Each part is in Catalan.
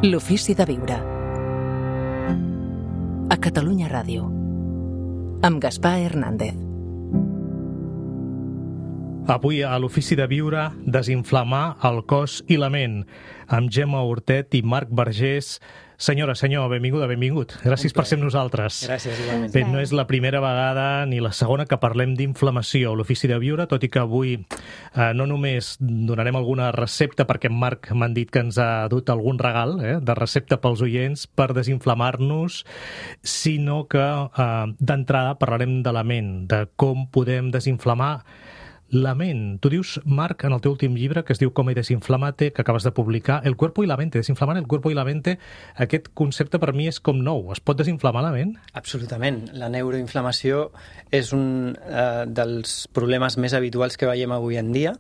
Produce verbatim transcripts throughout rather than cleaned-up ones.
L'ofici de viure. A Catalunya Ràdio. Amb Gaspar Hernández. Avui a l'Ofici de Viure, desinflamar el cos i la ment, amb Gemma Hortet i Marc Vergés. Senyora, senyor, benvinguda, benvingut. Gràcies per ser amb nosaltres. Gràcies, igualment. Bé, no és la primera vegada ni la segona que parlem d'inflamació a l'Ofici de Viure, tot i que avui eh, no només donarem alguna recepta, perquè en Marc m'han dit que ens ha dut algun regal eh, de recepta pels oients per desinflamar-nos, sinó que eh, d'entrada parlarem de la ment, de com podem desinflamar la ment. Tu dius, Marc, en el teu últim llibre, que es diu Com he desinflamate, que acabes de publicar, el cuerpo y la mente, desinflamar el cuerpo y la mente, aquest concepte per mi és com nou. Es pot desinflamar la ment? Absolutament. La neuroinflamació és un eh, dels problemes més habituals que veiem avui en dia.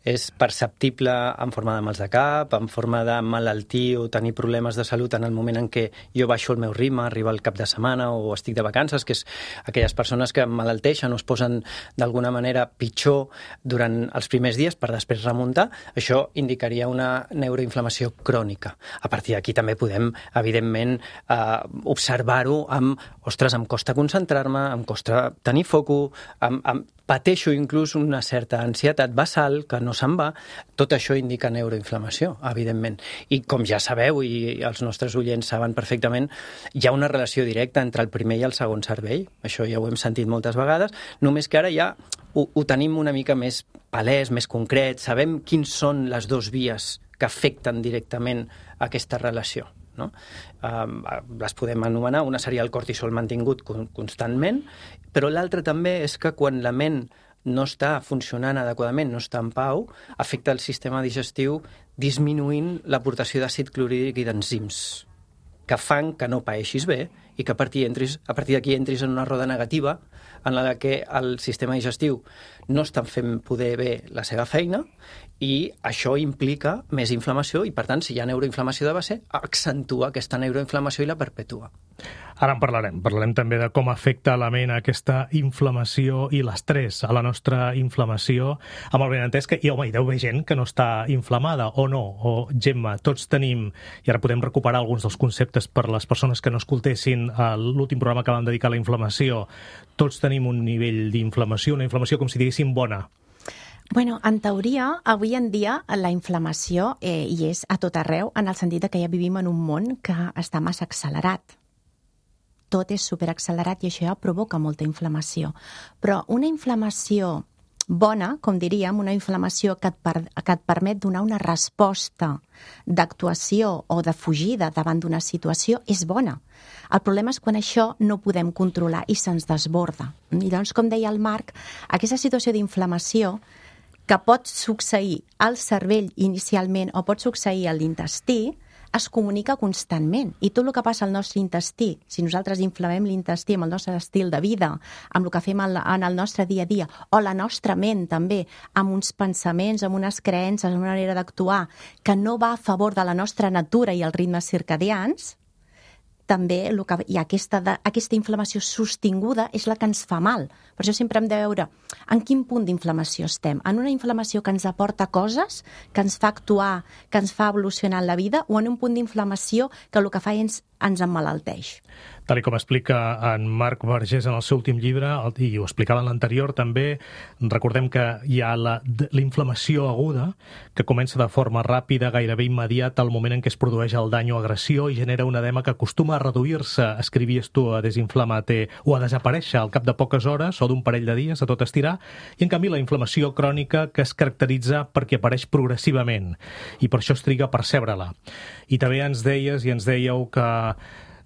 És perceptible en forma de mals de cap, en forma de malaltir o tenir problemes de salut en el moment en què jo baixo el meu ritme, arriba el cap de setmana o estic de vacances, que és aquelles persones que malalteixen o es posen d'alguna manera pitjor durant els primers dies per després remuntar. Això indicaria una neuroinflamació crònica. A partir d'aquí també podem, evidentment, eh, observar-ho amb, ostres, em costa concentrar-me, em costa tenir foco, em, em pateixo inclús una certa ansietat basal que no se'n va. Tot això indica neuroinflamació, evidentment. I com ja sabeu, i els nostres oients saben perfectament, hi ha una relació directa entre el primer i el segon cervell. Això ja ho hem sentit moltes vegades, només que ara ja ho, ho tenim una mica més palès, més concret, sabem quins són les dues vies que afecten directament aquesta relació. No? Um, les podem anomenar, una seria el cortisol mantingut constantment, però l'altra també és que quan la ment no està funcionant adequadament, no està en pau, afecta el sistema digestiu disminuint l'aportació d'àcid clorhídric i d'enzims que fan que no paeixis bé i que a partir, entris, a partir d'aquí entris en una roda negativa en la que el sistema digestiu no està fent poder bé la seva feina i això implica més inflamació i, per tant, si hi ha neuroinflamació de base, accentua aquesta neuroinflamació i la perpetua. Ara en parlarem. Parlarem també de com afecta a la ment aquesta inflamació i l'estrès a la nostra inflamació, amb el benentès que, i home, hi deu haver gent que no està inflamada, o no, o Gemma, tots tenim, i ara podem recuperar alguns dels conceptes per les persones que no escoltessin l'últim programa que vam dedicar a la inflamació, tots tenim un nivell d'inflamació, una inflamació com si diguéssim bona. Bueno, en teoria, avui en dia la inflamació eh, hi és a tot arreu, en el sentit que ja vivim en un món que està massa accelerat. Tot és superaccelerat i això ja provoca molta inflamació. Però una inflamació bona, com diríem, una inflamació que et, per, que et permet donar una resposta d'actuació o de fugida davant d'una situació és bona. El problema és quan això no podem controlar i se'ns desborda. I doncs, com deia el Marc, aquesta situació d'inflamació que pot succeir al cervell inicialment o pot succeir a l'intestí, es comunica constantment. I tot el que passa al nostre intestí, si nosaltres inflamem l'intestí amb el nostre estil de vida, amb el que fem en el nostre dia a dia, o la nostra ment també, amb uns pensaments, amb unes creences, amb una manera d'actuar que no va a favor de la nostra natura i els ritmes circadians, també el que hi ha aquesta, de, aquesta inflamació sostinguda és la que ens fa mal. Per això sempre hem de veure en quin punt d'inflamació estem. En una inflamació que ens aporta coses, que ens fa actuar, que ens fa evolucionar en la vida, o en un punt d'inflamació que el que fa ens, ens emmalalteix. Tal com explica en Marc Vergés en el seu últim llibre, i ho explicava en l'anterior també, recordem que hi ha la, la inflamació aguda, que comença de forma ràpida, gairebé immediata, al moment en què es produeix el dany o agressió i genera un edema que acostuma a reduir-se, escrivies tu, a desinflamar-te o a desaparèixer al cap de poques hores o d'un parell de dies, a tot estirar, i en canvi la inflamació crònica que es caracteritza perquè apareix progressivament i per això es triga a percebre-la. I també ens deies i ens dèieu que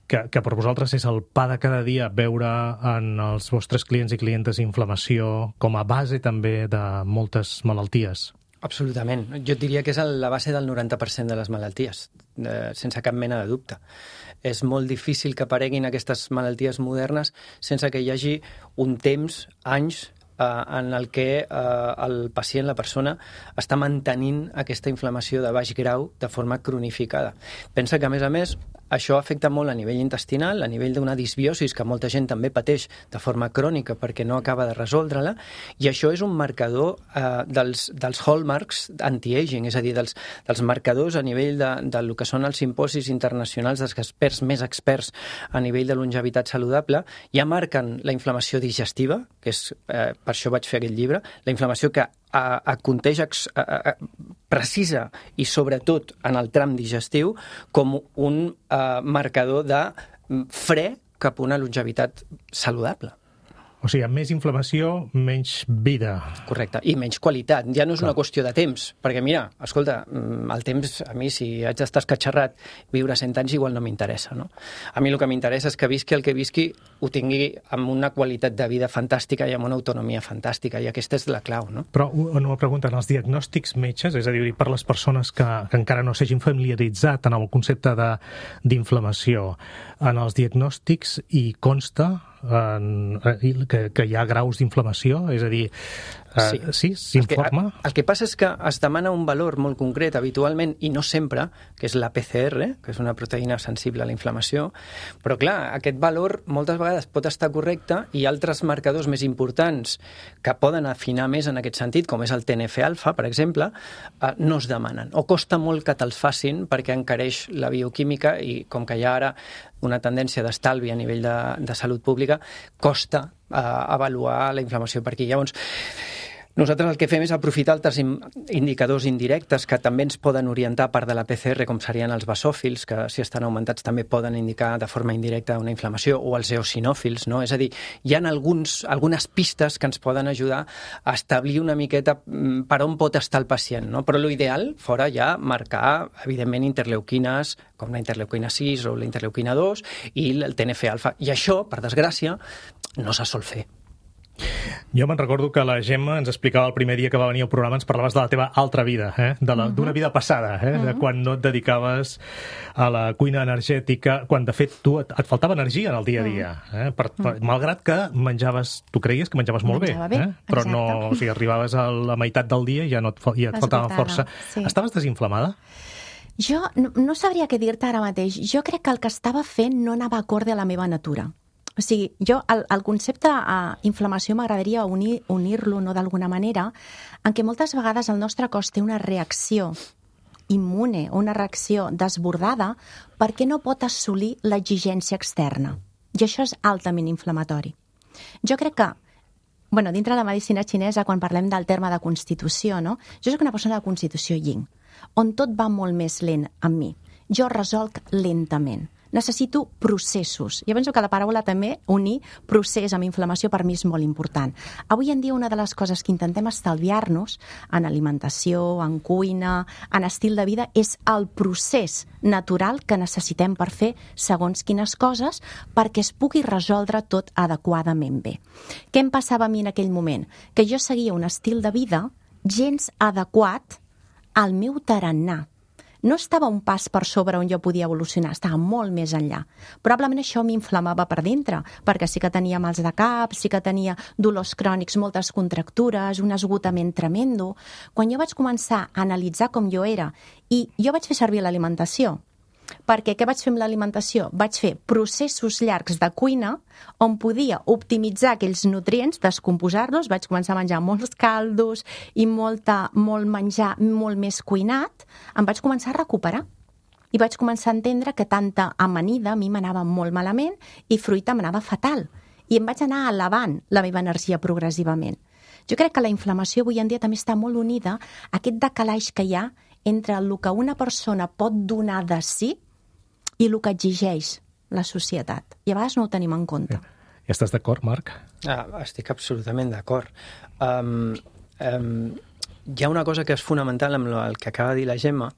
Que, que per vosaltres és el pa de cada dia veure en els vostres clients i clientes inflamació com a base també de moltes malalties. Absolutament. Jo et diria que és la base del noranta per cent de les malalties, eh, sense cap mena de dubte. És molt difícil que apareguin aquestes malalties modernes sense que hi hagi un temps, anys, en el que eh, el pacient, la persona, està mantenint aquesta inflamació de baix grau de forma cronificada. Pensa que, a més a més, això afecta molt a nivell intestinal, a nivell d'una disbiosis que molta gent també pateix de forma crònica perquè no acaba de resoldre-la, i això és un marcador eh, dels, dels hallmarks anti-aging, és a dir, dels, dels marcadors a nivell de, del que són els simposis internacionals dels experts més experts a nivell de longevitat saludable, ja marquen la inflamació digestiva, que és, eh, per això vaig fer aquest llibre, la inflamació que a, a context a, a, precisa i sobretot en el tram digestiu com un uh, marcador de fre cap a una longevitat saludable. O sigui, amb més inflamació, menys vida. Correcte, i menys qualitat. Ja no és Clar. Una qüestió de temps, perquè mira, escolta, el temps, a mi, si haig d'estar escatxarrat, viure cent anys igual no m'interessa, no? A mi el que m'interessa és que visqui el que visqui ho tingui amb una qualitat de vida fantàstica i amb una autonomia fantàstica, i aquesta és la clau, no? Però una pregunta, en els diagnòstics metges, és a dir, per les persones que, que encara no s'hagin familiaritzat en el concepte d'inflamació, en els diagnòstics hi consta en, que, que hi ha graus d'inflamació? És a dir, sí, sí s'informa? El, el que passa és que es demana un valor molt concret habitualment, i no sempre, que és la P C R, que és una proteïna sensible a la inflamació, però clar, aquest valor moltes vegades pot estar correcte i altres marcadors més importants que poden afinar més en aquest sentit, com és el T N F alfa, per exemple, no es demanen, o costa molt que te'ls facin perquè encareix la bioquímica, i com que hi ha ara una tendència d'estalvi a nivell de, de salut pública, costa eh, avaluar la inflamació per aquí. Llavors, nosaltres el que fem és aprofitar altres indicadors indirectes que també ens poden orientar a part de la P C R, com serien els basòfils, que si estan augmentats també poden indicar de forma indirecta una inflamació, o els eosinòfils, no? És a dir, hi ha alguns, algunes pistes que ens poden ajudar a establir una miqueta per on pot estar el pacient, no? Però l'ideal fora ja marcar, evidentment, interleuquines, com la interleuquina sis o la interleuquina dos, i el T N F alfa. I això, per desgràcia, no se sol fer. Jo me'n recordo que la Gemma ens explicava el primer dia que va venir al programa, ens parlaves de la teva altra vida, eh? d'una uh-huh. vida passada, eh? uh-huh. de quan no et dedicaves a la cuina energètica, quan de fet tu et, et faltava energia en el dia a dia, eh? per, per, uh-huh. malgrat que menjaves, tu creies que menjaves molt Menjava bé, bé eh? però exacte. no, o sigui, arribaves a la meitat del dia i ja, no et, ja et faltava força. Sí. Estaves desinflamada? Jo no, no sabria què dir-te ara mateix. Jo crec que el que estava fent no anava acorde a la meva natura. O sigui, jo, el, el concepte uh, inflamació m'agradaria unir, unir-lo, no, d'alguna manera, en què moltes vegades el nostre cos té una reacció immune, una reacció desbordada, perquè no pot assolir l'exigència externa. I això és altament inflamatori. Jo crec que, bueno, dintre de la medicina xinesa, quan parlem del terme de constitució, no? Jo soc una persona de constitució yin, on tot va molt més lent amb mi. Jo resolc lentament. Necessito processos. Jo penso que la paraula també, unir procés amb inflamació, per mi és molt important. Avui en dia una de les coses que intentem estalviar-nos en alimentació, en cuina, en estil de vida, és el procés natural que necessitem per fer segons quines coses perquè es pugui resoldre tot adequadament bé. Què em passava a mi en aquell moment? Que jo seguia un estil de vida gens adequat al meu tarannà. No estava un pas per sobre on jo podia evolucionar, estava molt més enllà. Probablement això m'inflamava per dintre, perquè sí que tenia mals de cap, sí que tenia dolors crònics, moltes contractures, un esgotament tremendo. Quan jo vaig començar a analitzar com jo era, i jo vaig fer servir l'alimentació, perquè què vaig fer amb l'alimentació? Vaig fer processos llargs de cuina on podia optimitzar aquells nutrients, descomposar-los, vaig començar a menjar molts caldos i molta, molt menjar molt més cuinat, em vaig començar a recuperar. I vaig començar a entendre que tanta amanida a mi m'anava molt malament i fruita m'anava fatal. I em vaig anar elevant la meva energia progressivament. Jo crec que la inflamació avui en dia també està molt unida a aquest decalaix que hi ha entre el que una persona pot donar de si i el que exigeix la societat. I a vegades no ho tenim en compte. Ja estàs d'acord, Marc? Ah, estic absolutament d'acord. Um, um, hi ha una cosa que és fonamental amb el que acaba de dir la Gemma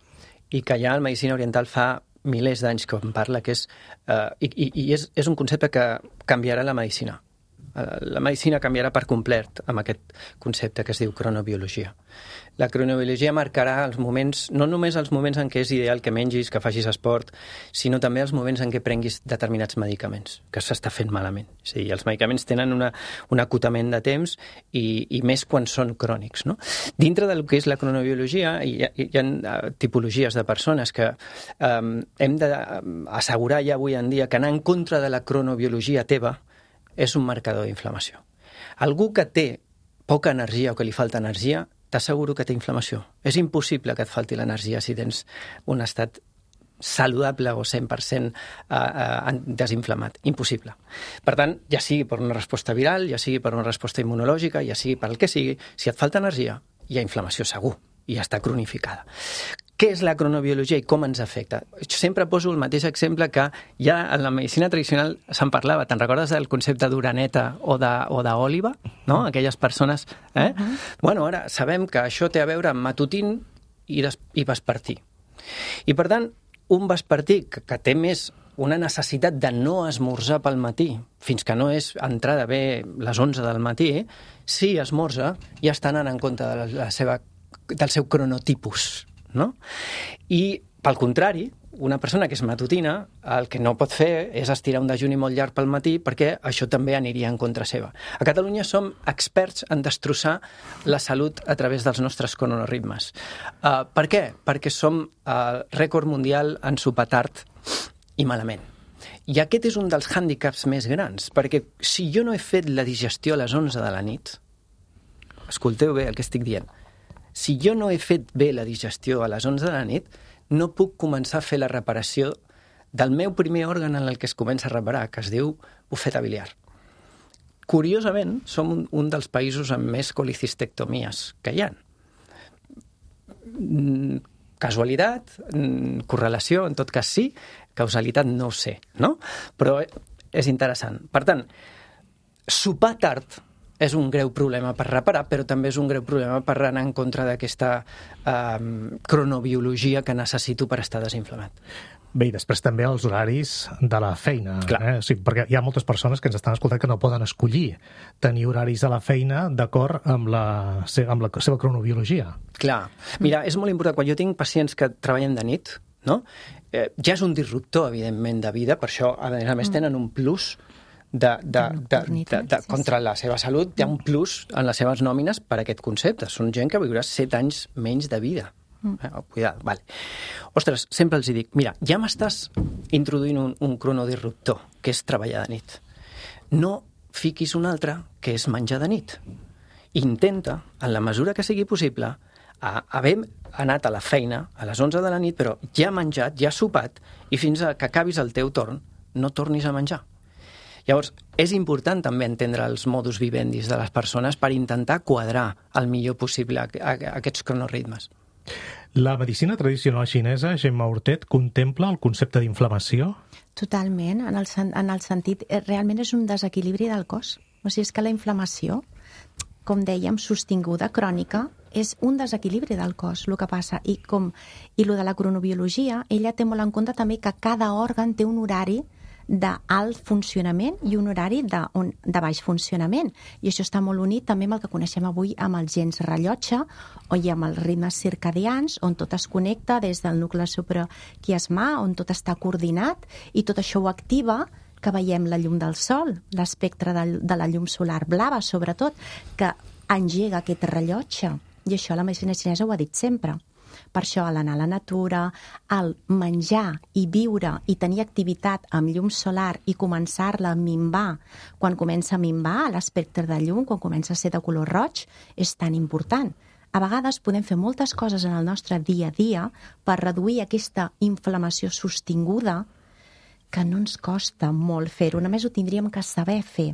i que ja en medicina oriental fa milers d'anys que en parla, que és, uh, i, i és, és un concepte que canviarà la medicina. La medicina canviarà per complet amb aquest concepte que es diu cronobiologia. La cronobiologia marcarà els moments, no només els moments en què és ideal que mengis, que facis esport, sinó també els moments en què prenguis determinats medicaments, que s'està fent malament. És a dir, els medicaments tenen una, un acotament de temps i, i més quan són crònics, no? Dintre del que és la cronobiologia, hi ha, hi ha tipologies de persones que um, hem d'assegurar ja avui en dia que anar en contra de la cronobiologia teva és un marcador d'inflamació. Algú que té poca energia o que li falta energia, t'asseguro que té inflamació. És impossible que et falti l'energia si tens un estat saludable o cent per cent uh, uh, desinflamat. Impossible. Per tant, ja sigui per una resposta viral, ja sigui per una resposta immunològica, ja sigui per el que sigui, si et falta energia, hi ha inflamació segur i ja està cronificada. Què és la cronobiologia i com ens afecta? Jo sempre poso el mateix exemple que ja en la medicina tradicional se'n parlava. Te'n recordes del concepte d'uraneta o d'òliva? No? Aquelles persones... Eh? Uh-huh. Bueno, ara sabem que això té a veure amb matutín i, des... i vespertí. I, per tant, un vespertí que, que té més una necessitat de no esmorzar pel matí fins que no és entrada bé les onze del matí, si esmorza ja està anant en compte de la seva, del seu cronotipus. No? I, pel contrari, una persona que és matutina, el que no pot fer és estirar un dejuni molt llarg pel matí perquè això també aniria en contra seva. A Catalunya som experts en destrossar la salut a través dels nostres cronoritmes. Uh, per què? Perquè som el uh, rècord mundial en sopar tard i malament. I aquest és un dels hàndicaps més grans, perquè si jo no he fet la digestió a les onze de la nit, escolteu bé el que estic dient, si jo no he fet bé la digestió a les onze de la nit, no puc començar a fer la reparació del meu primer òrgan en el que es comença a reparar, que es diu bufeta biliar. Curiosament, som un, un dels països amb més colicistectomies que hi ha. Casualitat, correlació, en tot cas sí, causalitat no ho sé, no? Però és interessant. Per tant, sopar tard és un greu problema per reparar, però també és un greu problema per anar en contra d'aquesta eh, cronobiologia que necessito per estar desinflamat. Bé, i després també els horaris de la feina. Eh? O sigui, perquè hi ha moltes persones que ens estan escoltant que no poden escollir tenir horaris a la feina d'acord amb la, amb la seva cronobiologia. Clar. Mira, és molt important. Quan jo tinc pacients que treballen de nit, no? eh, ja és un disruptor, evidentment, de vida. Per això, a més a més, tenen un plus De, de, de, de, de, contra la seva salut. Hi ha un plus en les seves nòmines per aquest concepte. Són gent que viurà set anys menys de vida. Eh? Oh, cuidado, vale. Ostres, sempre els dic, mira, ja m'estàs introduint un, un cronodisruptor, que és treballar de nit. No fiquis un altre, que és menjar de nit. Intenta, en la mesura que sigui possible, a haver anat a la feina a les onze de la nit, però ja menjat, ja sopat, i fins a que acabis el teu torn, no tornis a menjar. Llavors, és important també entendre els modus vivendis de les persones per intentar quadrar el millor possible aquests cronoritmes. La medicina tradicional xinesa, Gemma Hortet, contempla el concepte d'inflamació? Totalment, en el, en el sentit, realment és un desequilibri del cos. O sigui, és que la inflamació, com dèiem, sostinguda, crònica, és un desequilibri del cos, el que passa. I com i lo de la cronobiologia, ella té molt en compte també que cada òrgan té un horari d'alt funcionament i un horari de, on, de baix funcionament. I això està molt unit també amb el que coneixem avui amb els gens rellotge o i amb els ritmes circadians, on tot es connecta des del nucli supraquiasmà, on tot està coordinat i tot això ho activa que veiem la llum del sol, l'espectre de, de la llum solar blava, sobretot, que engega aquest rellotge. I això la medicina xinesa ho ha dit sempre. Per això, a l'anar a la natura, al menjar i viure i tenir activitat amb llum solar i començar-la a minvar, quan comença a minvar l'espectre de llum, quan comença a ser de color roig, és tan important. A vegades podem fer moltes coses en el nostre dia a dia per reduir aquesta inflamació sostinguda que no ens costa molt fer-ho, només ho tindríem que saber fer.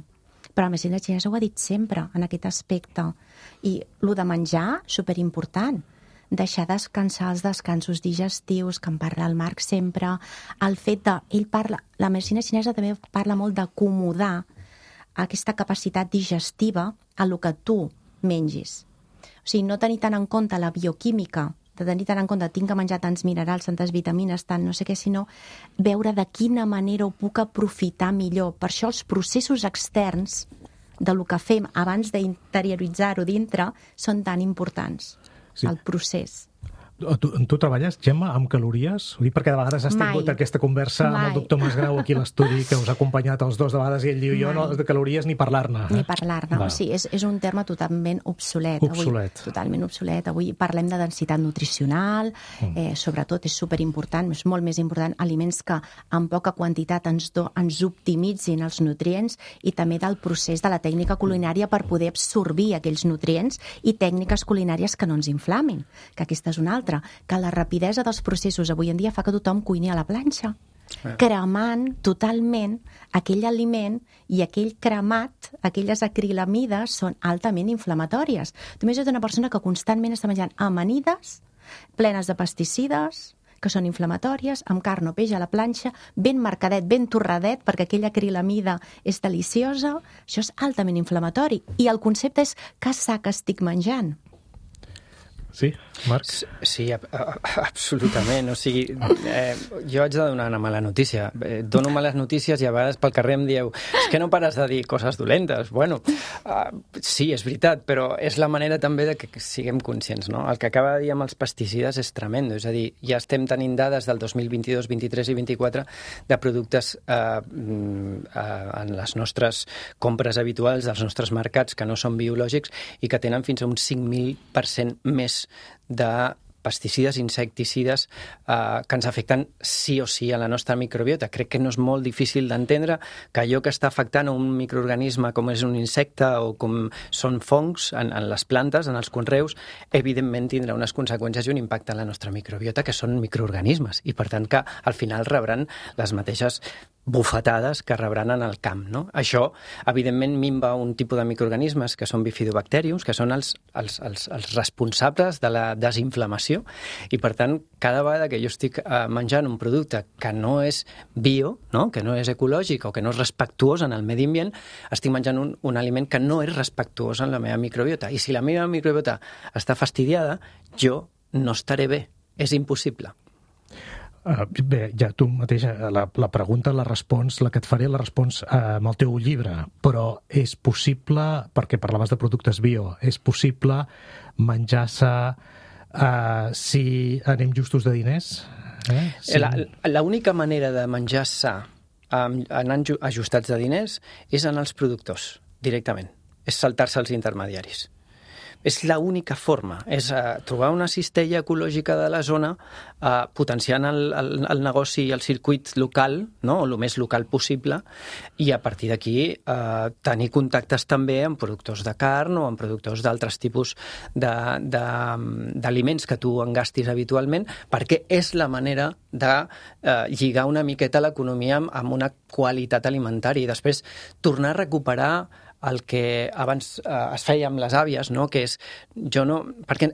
Però la medicina xinesa ho ha dit sempre en aquest aspecte. I el de menjar, superimportant. Deixar descansar els descansos digestius, que en parla el Marc sempre, el fet de... Ell parla, la medicina xinesa també parla molt d'acomodar aquesta capacitat digestiva a el que tu mengis. O sigui, no tenir tant en compte la bioquímica, de tenir tant en compte tinc que menjar tants minerals, tantes vitamines, tant no sé què, sinó veure de quina manera ho puc aprofitar millor. Per això els processos externs de lo que fem abans d'interioritzar-ho dintre són tan importants. Sí. El procés. Tu, tu treballes, Gemma, amb calories? Ho dic perquè de vegades has tingut Mai. aquesta conversa Mai. amb el doctor Masgrau aquí a l'estudi, que us ha acompanyat els dos de vegades, i ell diu, jo no, de calories ni parlar-ne. Eh? Ni parlar-ne. O sigui, és, és un terme totalment obsolet. Obsolet. Avui, totalment obsolet. Avui parlem de densitat nutricional, mm. eh, sobretot és superimportant, és molt més important, aliments que en poca quantitat ens, do, ens optimitzin els nutrients, i també del procés de la tècnica culinària per poder absorbir aquells nutrients, i tècniques culinàries que no ens inflamin, que aquesta és una altra, que la rapidesa dels processos avui en dia fa que tothom cuini a la planxa, eh. cremant totalment aquell aliment, i aquell cremat, aquelles acrilamides són altament inflamatòries. Tu imagina't una persona que constantment està menjant amanides plenes de pesticides, que són inflamatòries, amb carn o peix a la planxa, ben marcadet, ben torradet, perquè aquella acrilamida és deliciosa. Això és altament inflamatori. I el concepte és que sac estic menjant. Sí, Marc? Sí, a, a, absolutament. O sigui, eh, jo haig de donar una mala notícia. Eh, dono males notícies i a vegades pel carrer em dieu és que no pares de dir coses dolentes. Bueno, uh, sí, és veritat, però és la manera també de que siguem conscients, no? El que acaba de dir amb els pesticides és tremendo. És a dir, ja estem tenint dades del dos mil vint-i-dos, vint-i-tres i vint-i-quatre de productes eh, uh, en les nostres compres habituals, dels nostres mercats, que no són biològics i que tenen fins a un cinc mil per cent més de pesticides, insecticides eh, que ens afecten sí o sí a la nostra microbiota. Crec que no és molt difícil d'entendre que allò que està afectant a un microorganisme com és un insecte o com són fongs en, en les plantes, en els conreus, evidentment tindrà unes conseqüències i un impacte en la nostra microbiota, que són microorganismes, i per tant que al final rebran les mateixes bufetades que rebran en el camp, no? Això, evidentment, minva un tipus de microorganismes que són bifidobacteriums, que són els, els, els, els responsables de la desinflamació, i per tant, cada vegada que jo estic eh, menjant un producte que no és bio, no? Que no és ecològic o que no és respectuós en el medi ambient, estic menjant un, un aliment que no és respectuós en la meva microbiota. I si la meva microbiota està fastidiada, jo no estaré bé. És impossible. Uh, bé, ja tu mateix, la, la pregunta la respons, la que et faré la respons uh, amb el teu llibre, però és possible, perquè parlaves de productes bio, és possible menjar-se uh, si anem justos de diners? Eh? Si... La, la única manera de menjar sa um, anant ajustats de diners és en els productors, directament. És saltar-se els intermediaris. És l'única forma, és uh, trobar una cistella ecològica de la zona, uh, potenciant el, el, el negoci i el circuit local, no? O el més local possible, i a partir d'aquí uh, tenir contactes també amb productors de carn o amb productors d'altres tipus d'aliments que tu engastis habitualment, perquè és la manera de uh, lligar una miqueta l'economia amb, amb una qualitat alimentària i després tornar a recuperar el que abans eh, es feia amb les àvies, no? Que és, jo no, perquè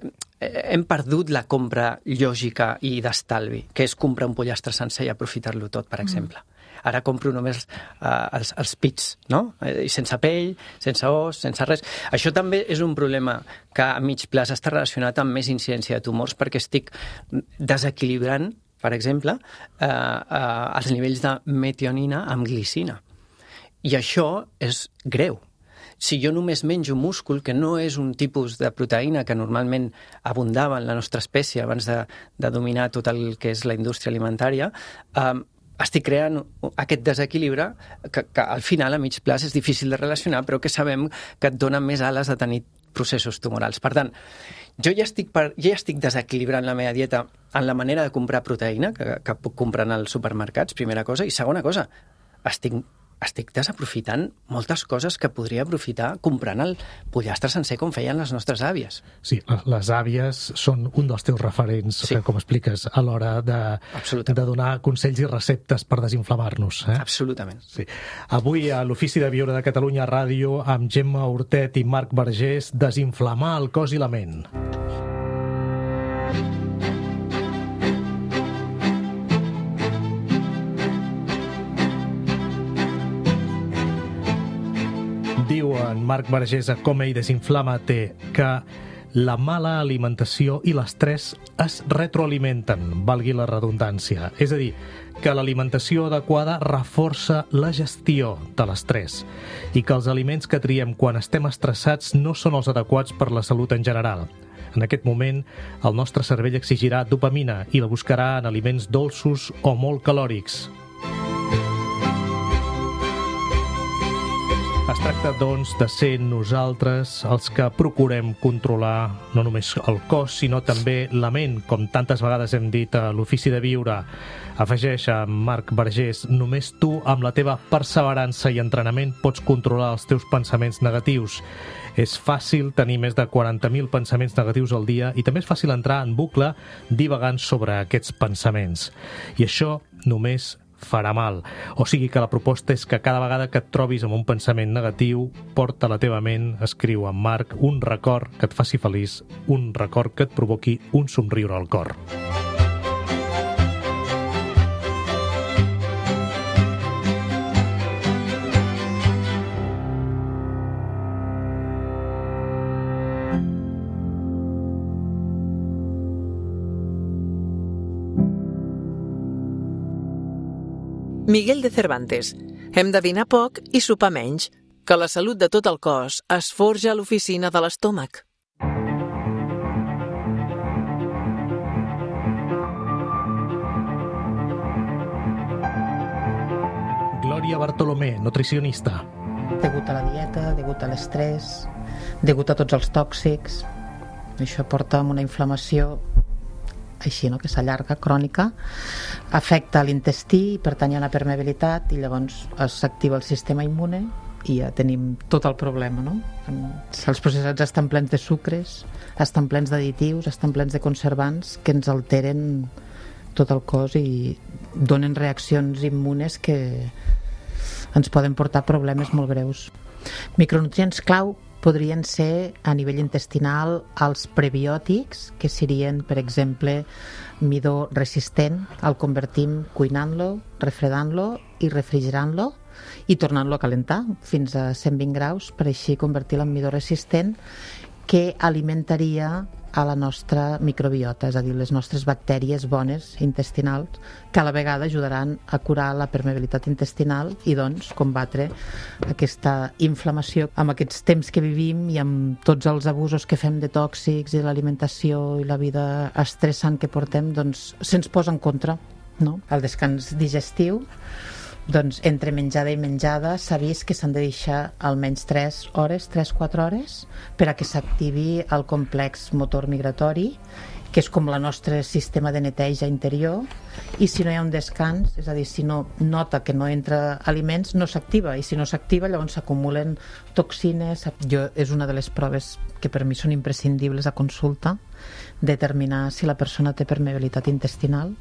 hem perdut la compra lògica i d'estalvi, que és comprar un pollastre sencer i aprofitar-lo tot, per exemple. Mm. Ara compro només eh, els, els pits, no? I sense pell, sense os, sense res. Això també és un problema que a mig plaç està relacionat amb més incidència de tumors, perquè estic desequilibrant, per exemple, eh, eh, els nivells de metionina amb glicina. I això és greu. Si jo només menjo múscul, que no és un tipus de proteïna que normalment abundava en la nostra espècie abans de, de dominar tot el que és la indústria alimentària, eh, estic creant aquest desequilibre que, que al final a mig plaç és difícil de relacionar, però que sabem que et dona més ales de tenir processos tumorals. Per tant, jo ja estic, per, ja estic desequilibrant la meva dieta en la manera de comprar proteïna que, que puc comprar als supermercats, primera cosa, i segona cosa, estic estic desaprofitant moltes coses que podria aprofitar comprant el pollastre sencer com feien les nostres àvies. Sí, les àvies són un dels teus referents, sí. Que, com expliques, a l'hora de, de donar consells i receptes per desinflamar-nos. Eh? Absolutament. Sí. Avui a l'Ofici de Viure de Catalunya Ràdio, amb Gemma Hortet i Marc Vergés, desinflamar el cos i la ment. Diu en Marc Vergés a Com ell desinflama-te que la mala alimentació i l'estrès es retroalimenten, valgui la redundància. És a dir, que l'alimentació adequada reforça la gestió de l'estrès i que els aliments que triem quan estem estressats no són els adequats per la salut en general. En aquest moment, el nostre cervell exigirà dopamina i la buscarà en aliments dolços o molt calòrics. Es tracta, doncs, de ser nosaltres els que procurem controlar no només el cos, sinó també la ment, com tantes vegades hem dit a l'Ofici de Viure. Afegeix a Marc Vergés, només tu, amb la teva perseverança i entrenament, pots controlar els teus pensaments negatius. És fàcil tenir més de quaranta mil pensaments negatius al dia i també és fàcil entrar en bucle divagant sobre aquests pensaments. I això només farà mal. O sigui que la proposta és que cada vegada que et trobis amb un pensament negatiu, porta a la teva ment, escriu en Marc, un record que et faci feliç, un record que et provoqui un somriure al cor. Miguel de Cervantes. Hem de dinar poc i sopar menys, que la salut de tot el cos es forja a l'oficina de l'estómac. Glòria Bartolomé, nutricionista. Degut a la dieta, degut a l'estrès, degut a tots els tòxics, això porta a una inflamació així, no? Que s'allarga, crònica, afecta l'intestí, per tant hi ha una permeabilitat i llavors s'activa el sistema immune i ja tenim tot el problema, no? Els processats estan plens de sucres, estan plens d'additius, estan plens de conservants que ens alteren tot el cos i donen reaccions immunes que ens poden portar problemes molt greus. Micronutrients clau podrien ser a nivell intestinal els prebiòtics, que serien, per exemple, midó resistent. El convertim cuinant-lo, refredant-lo i refrigerant-lo i tornant-lo a calentar fins a cent vint graus per així convertir-lo en midó resistent, que alimentaria a la nostra microbiota, és a dir, les nostres bactèries bones intestinals, que a la vegada ajudaran a curar la permeabilitat intestinal i doncs combatre aquesta inflamació. Amb aquests temps que vivim i amb tots els abusos que fem de tòxics i l'alimentació i la vida estressant que portem, doncs se'ns posa en contra, no? El descans digestiu, doncs entre menjada i menjada s'ha vist que s'han de deixar almenys tres hores, tres a quatre hores, per a que s'activi el complex motor migratori, que és com el nostre sistema de neteja interior, i si no hi ha un descans, és a dir, si no nota que no entra aliments, no s'activa, i si no s'activa llavors s'acumulen toxines. Jo, és una de les proves que per mi són imprescindibles a consulta, determinar si la persona té permeabilitat intestinal,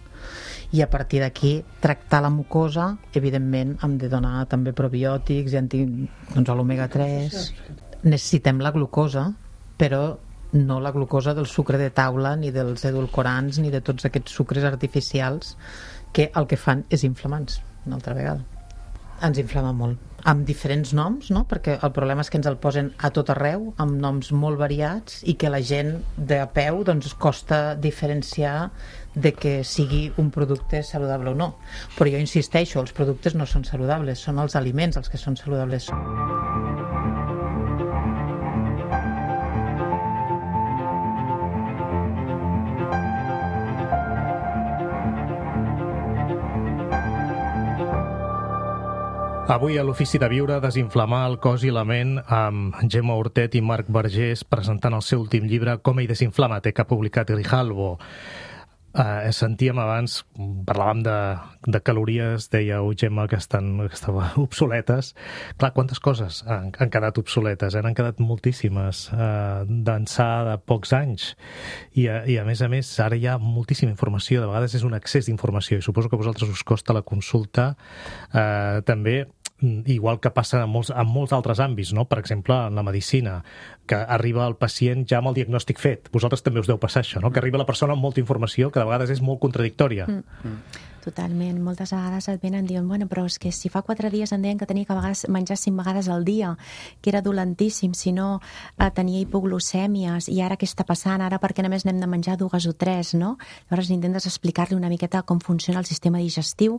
i a partir d'aquí tractar la mucosa. Evidentment hem de donar també probiòtics i anti, doncs, l'omega tres. Necessitem la glucosa, però no la glucosa del sucre de taula ni dels edulcorants ni de tots aquests sucres artificials que el que fan és inflamar-nos una altra vegada. Ens inflama molt, amb diferents noms, no? Perquè el problema és que ens el posen a tot arreu, amb noms molt variats, i que la gent de a peu doncs, costa diferenciar de que sigui un producte saludable o no. Però jo insisteixo, els productes no són saludables, són els aliments els que són saludables. Avui a l'Ofici de Viure, desinflamar el cos i la ment amb Gemma Hortet i Marc Vergés presentant el seu últim llibre Com ell desinflama-te, que ha publicat Grijalbo. Uh, sentíem abans, parlàvem de, de calories, dèieu, Gemma, que, estan, que estaven obsoletes. Clar, quantes coses han, han quedat obsoletes, eh? Han quedat moltíssimes uh, d'ençà de pocs anys. I, uh, I a més a més, ara hi ha moltíssima informació, de vegades és un excés d'informació, i suposo que a vosaltres us costa la consulta uh, també, igual que passa en molts, en molts altres àmbits, no? Per exemple, en la medicina, que arriba el pacient ja amb el diagnòstic fet. Vosaltres també us deu passar això, no? Que arriba la persona amb molta informació que de vegades és molt contradictòria. Mm. Totalment. Moltes vegades et venen dient, bueno, però és que si fa quatre dies em deien que tenia que vegades menjar cinc vegades al dia, que era dolentíssim, si no eh, tenia hipoglucèmies, i ara què està passant? Ara per què només n'hem de menjar dues o tres, no? Llavors intentes explicar-li una miqueta com funciona el sistema digestiu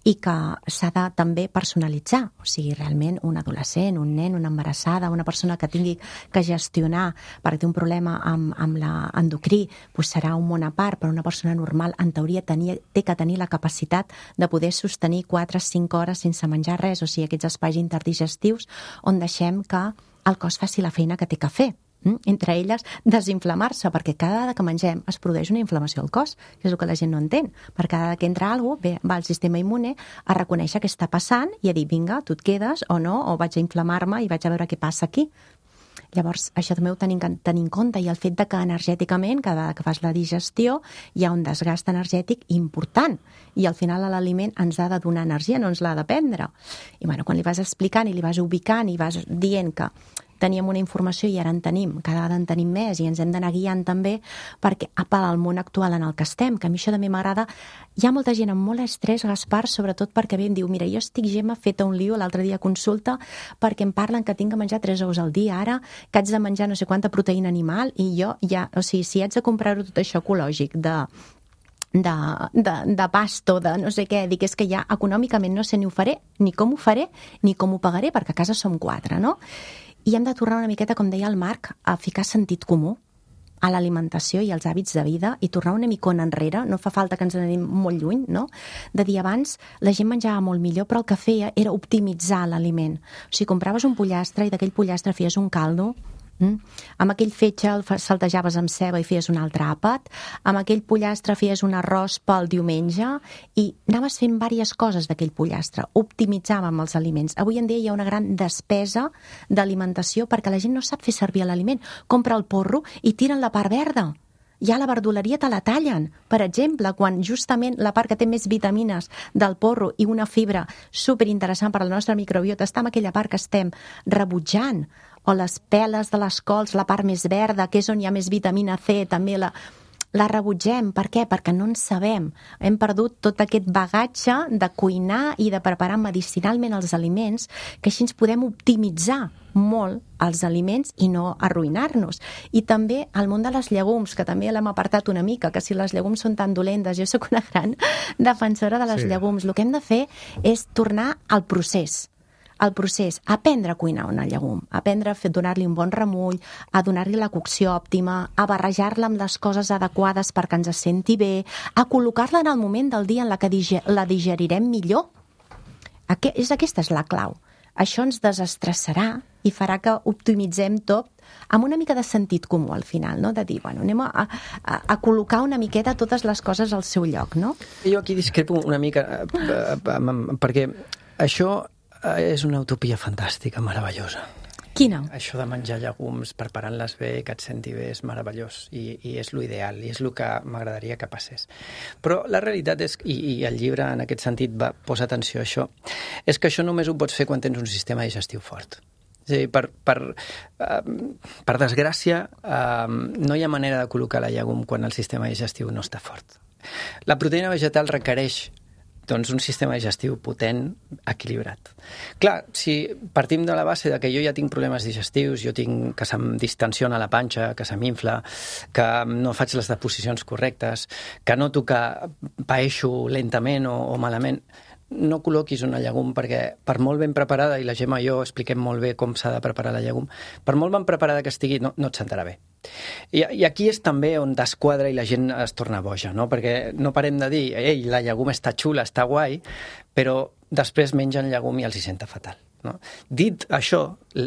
i que s'ha de també personalitzar. O sigui, realment un adolescent, un nen, una embarassada, una persona que tingui que gestionar perquè té un problema amb, amb l'endocrí, doncs serà un món a part, però una persona normal en teoria tenia, té que tenir la capacitat de poder sostenir quatre o cinc hores sense menjar res, o sigui, aquests espais interdigestius on deixem que el cos faci la feina que té que fer. Entre elles, desinflamar-se, perquè cada vegada que mengem es produeix una inflamació al cos, que és el que la gent no entén. Per cada vegada que entra alguna cosa, va el sistema immune a reconèixer què està passant i a dir, vinga, tu et quedes o no, o vaig a inflamar-me i vaig a veure què passa aquí. Llavors, això també ho tenim que tenir en compte, i el fet de que energèticament, cada vegada que fas la digestió, hi ha un desgast energètic important, i al final l'aliment ens ha de donar energia, no ens l'ha de prendre. I bueno, quan li vas explicant i li vas ubicant i vas dient que teníem una informació i ara en tenim, cada vegada en tenim més i ens hem d'anar guiant també perquè apel al món actual en el que estem, que a mi això també m'agrada. Hi ha molta gent amb molt estrès, Gaspar, sobretot perquè ve i em diu, mira, jo estic, Gemma, feta un lío l'altre dia a consulta perquè em parlen que tinc que menjar tres ous al dia ara, que haig de menjar no sé quanta proteïna animal, i jo ja, o sigui, si haig de comprar-ho tot això ecològic de de, de, de pasto, de no sé què, dic, és que ja econòmicament no sé ni ho faré, ni com ho faré, ni com ho pagaré, perquè a casa som quatre, no? I hem de tornar una miqueta, com deia el Marc, a ficar sentit comú a l'alimentació i als hàbits de vida i tornar una micona enrere, no fa falta que ens anem molt lluny, no? De dir abans la gent menjava molt millor, però el que feia era optimitzar l'aliment. O sigui, compraves un pollastre i d'aquell pollastre feies un caldo, Mm. amb aquell fetge el saltejaves amb ceba i feies un altre àpat, amb aquell pollastre feies un arròs pel diumenge i anaves fent diverses coses d'aquell pollastre, optimitzàvem els aliments. Avui en dia hi ha una gran despesa d'alimentació perquè la gent no sap fer servir l'aliment. Compra el porro i tiren la part verda. Ja a la verduleria te la tallen. Per exemple, quan justament la part que té més vitamines del porro i una fibra superinteressant per a la nostra microbiota està en aquella part que estem rebutjant, o les peles de les cols, la part més verda, que és on hi ha més vitamina C, també la, la rebutgem. Per què? Perquè no en sabem. Hem perdut tot aquest bagatge de cuinar i de preparar medicinalment els aliments, que així ens podem optimitzar molt els aliments i no arruïnar-nos. I també el món de les llegums, que també l'hem apartat una mica, que si les llegums són tan dolentes, jo sóc una gran defensora de les sí. llegums. El que hem de fer és tornar al procés. El procés, aprendre a cuinar una llegum, aprendre a fer, donar-li un bon remull, a donar-li la cocció òptima, a barrejar-la amb les coses adequades perquè ens senti bé, a col·locar-la en el moment del dia en la que diger, la digerirem millor. Aquest, és, aquesta és la clau. Això ens desestressarà i farà que optimitzem tot amb una mica de sentit comú al final, no? De dir, bueno, anem a, a, a col·locar una miqueta totes les coses al seu lloc, no? Jo aquí discrepo una mica, perquè això és una utopia fantàstica, meravellosa. Quina? Això de menjar llegums, preparant-les bé, que et senti bé, és meravellós i, i és l'ideal, i és el que m'agradaria que passés. Però la realitat és, i, i el llibre en aquest sentit va posar atenció a això, és que això només ho pots fer quan tens un sistema digestiu fort. És a dir, per, per, uh, per desgràcia, uh, no hi ha manera de col·locar la llegum quan el sistema digestiu no està fort. La proteïna vegetal requereix doncs un sistema digestiu potent, equilibrat. Clar, si partim de la base de que jo ja tinc problemes digestius, jo tinc que se'm distensiona la panxa, que se m'infla, que no faig les deposicions correctes, que noto que paeixo lentament o, o malament, no col·loquis una llegum perquè per molt ben preparada, i la Gemma i jo expliquem molt bé com s'ha de preparar la llegum, per molt ben preparada que estigui no, no et sentarà bé. I, I aquí és també on desquadra i la gent es torna boja, no? Perquè no parem de dir, ei, la llegum està xula, està guai, però després mengen llegum i els hi senta fatal. No? Dit això,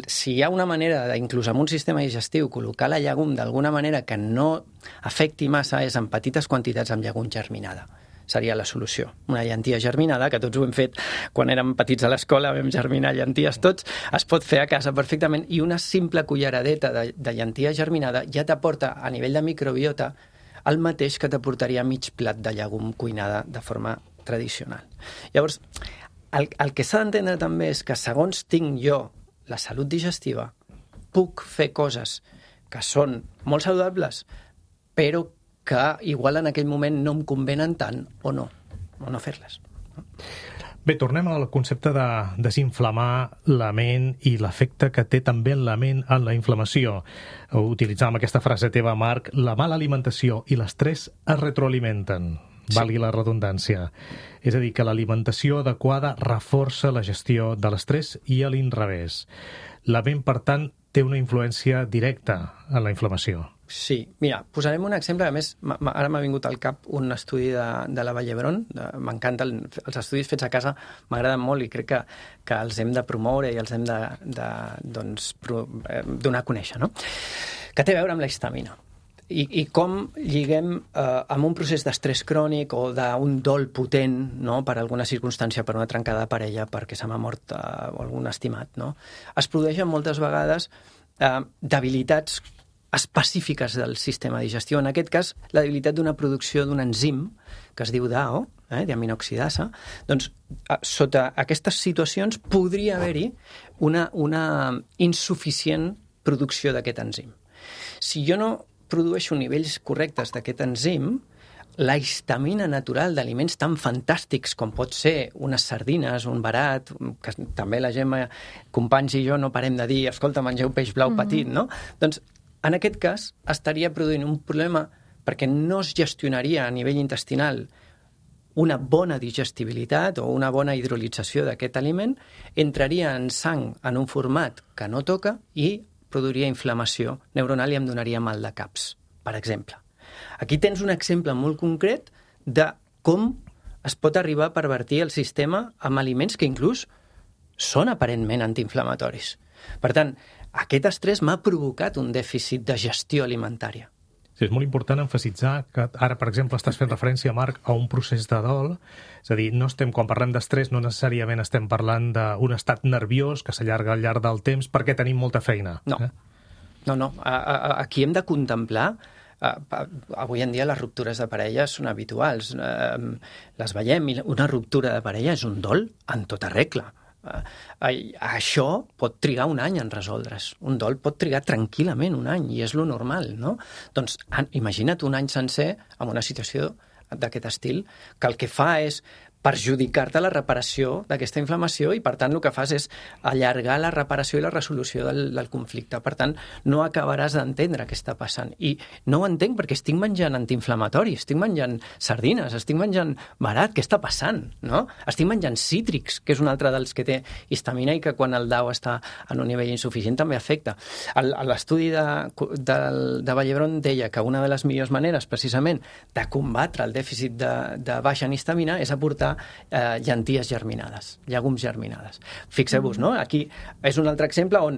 si hi ha una manera, inclús amb un sistema digestiu, col·locar la llegum d'alguna manera que no afecti massa, és en petites quantitats amb llegum germinada. Seria la solució. Una llentia germinada, que tots ho hem fet quan érem petits a l'escola, vam germinar llenties tots, es pot fer a casa perfectament, i una simple culleradeta de, de llentia germinada ja t'aporta a nivell de microbiota el mateix que t'aportaria mig plat de llegum cuinada de forma tradicional. Llavors, el, el que s'ha d'entendre també és que segons tinc jo la salut digestiva, puc fer coses que són molt saludables, però que igual en aquell moment no em convenen tant o no. o no fer-les. Bé, tornem al concepte de desinflamar la ment i l'efecte que té també en la ment en la inflamació. Utilitzàvem aquesta frase teva, Marc, la mala alimentació i l'estrès es retroalimenten, sí. Valgui la redundància. És a dir, que l'alimentació adequada reforça la gestió de l'estrès i a l'inrevés. La ment, per tant, té una influència directa en la inflamació. Sí, mira, posarem un exemple, a més, ara m'ha vingut al cap un estudi de, de la Vall d'Hebron, m'encanten els estudis fets a casa, m'agraden molt i crec que, que els hem de promoure i els hem de, de doncs, pro, eh, donar a conèixer, no? Que té a veure amb la histamina. I, i com lliguem eh, amb un procés d'estrès crònic o d'un dol potent, no?, per alguna circumstància, per una trencada de parella, perquè se m'ha mort eh, algun estimat, no? Es produeixen moltes vegades eh, debilitats específiques del sistema digestiu. En aquest cas, la debilitat d'una producció d'un enzim que es diu D A O, eh, diaminoxidasa. Doncs, sota aquestes situacions podria haver-hi una, una insuficient producció d'aquest enzim. Si jo no produeixo nivells correctes d'aquest enzim, la histamina natural d'aliments tan fantàstics com pot ser unes sardines, un verat, que també la Gemma, companys i jo no parem de dir, escolta, mengeu peix blau mm-hmm. petit, no? Doncs, en aquest cas, estaria produint un problema perquè no es gestionaria a nivell intestinal una bona digestibilitat o una bona hidrolització d'aquest aliment, entraria en sang en un format que no toca i produiria inflamació neuronal i em donaria mal de caps, per exemple. Aquí tens un exemple molt concret de com es pot arribar a pervertir el sistema amb aliments que inclús són aparentment antiinflamatoris. Per tant, aquest estrès m'ha provocat un dèficit de gestió alimentària. Sí, és molt important emfasitzar que ara, per exemple, estàs fent referència, Marc, a un procés de dol. És a dir, no estem, quan parlem d'estrès, no necessàriament estem parlant d'un estat nerviós que s'allarga al llarg del temps perquè tenim molta feina. No, eh? no, no. Aquí hem de contemplar. Avui en dia les ruptures de parella són habituals. Les veiem i una ruptura de parella és un dol en tota regla. Uh, això pot trigar un any en resoldre's. Un dol pot trigar tranquil·lament un any i és lo normal, no? Doncs imagina't un any sencer amb una situació d'aquest estil que el que fa és perjudicar-te la reparació d'aquesta inflamació i, per tant, el que fas és allargar la reparació i la resolució del, del conflicte. Per tant, no acabaràs d'entendre què està passant. I no ho entenc perquè estic menjant antiinflamatori, estic menjant sardines, estic menjant verat, què està passant? No? Estic menjant cítrics, que és un altre dels que té histamina i que quan el D A O està en un nivell insuficient també afecta. L'estudi de, de, de Vall d'Hebron deia que una de les millors maneres, precisament, de combatre el dèficit de, de baixa en histamina és aportar Eh, llenties germinades, llegums germinades. Fixeu-vos, no? Aquí és un altre exemple on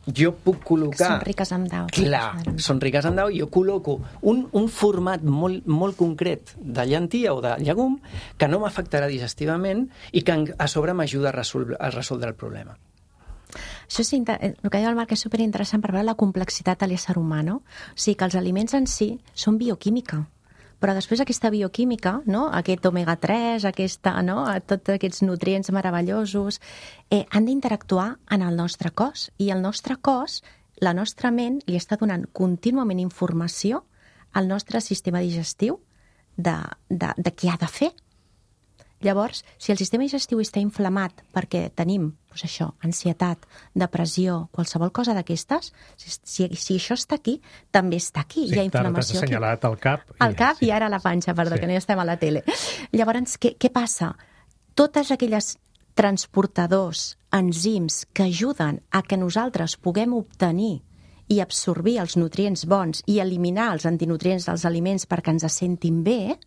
jo puc col·locar... Són riques en D A O. Clar, són riques en D A O i jo col·loco un, un format molt, molt concret de llentia o de llegum que no m'afectarà digestivament i que a sobre m'ajuda a, resol a resoldre el problema. Això és, el que diu el Marc és superinteressant per veure la complexitat de l'ésser humà, no? O sigui, que els aliments en si són bioquímica, però després aquesta bioquímica, no? Aquest omega tres, aquesta, no? Tots aquests nutrients meravellosos, eh, han d'interactuar en el nostre cos. I el nostre cos, la nostra ment, li està donant contínuament informació al nostre sistema digestiu de, de, de què ha de fer. Llavors, si el sistema digestiu està inflamat perquè tenim, doncs això, ansietat, depressió, qualsevol cosa d'aquestes, si, si, si això està aquí, també està aquí. Sí, hi ha inflamació t'has assenyalat al cap. Al cap sí. I ara a la panxa, perdó, sí. que no hi estem a la tele. Llavors, què, què passa? Totes aquelles transportadors, enzims que ajuden a que nosaltres puguem obtenir i absorbir els nutrients bons i eliminar els antinutrients dels aliments perquè ens sentim bé,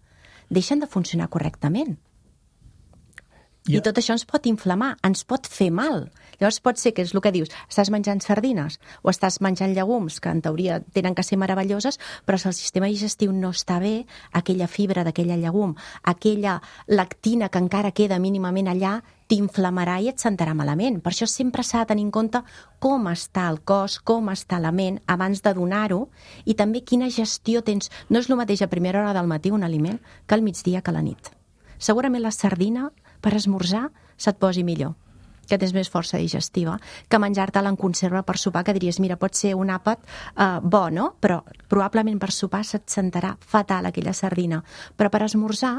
deixen de funcionar correctament. I tot això ens pot inflamar, ens pot fer mal. Llavors pot ser que és el que dius, estàs menjant sardines o estàs menjant llegums, que en teoria tenen que ser meravelloses, però si el sistema digestiu no està bé, aquella fibra d'aquella llegum, aquella lactina que encara queda mínimament allà, t'inflamarà i et sentarà malament. Per això sempre s'ha de tenir en compte com està el cos, com està la ment, abans de donar-ho, i també quina gestió tens. No és el mateix a primera hora del matí un aliment que al migdia que a la nit. Segurament la sardina per esmorzar se't posi millor, que tens més força digestiva, que menjar-te-la en conserva per sopar, que diries, mira, pot ser un àpat eh, bo, no? Però probablement per sopar se't sentarà fatal aquella sardina. Però per esmorzar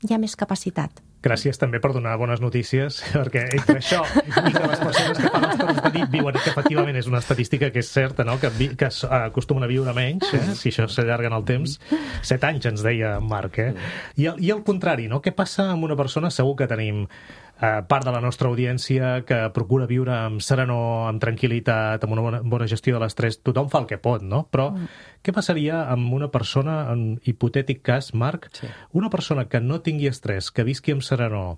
hi ha més capacitat. Gràcies també per donar bones notícies, perquè entre això i que les persones que fan els torns de nit viuen, que efectivament és una estadística que és certa, no? que, vi, que acostumen a viure menys, eh? si això s'allarga en el temps. Set anys ens deia Marc. Eh? I, el, I el contrari, no? Què passa amb una persona? Segur que tenim eh, part de la nostra audiència que procura viure amb serenor, amb tranquil·litat, amb una bona, bona gestió de l'estrès. Tothom fa el que pot, no? Però mm. què passaria amb una persona, en hipotètic cas, Marc, sí. una persona que no tingui estrès, que visqui amb serenor,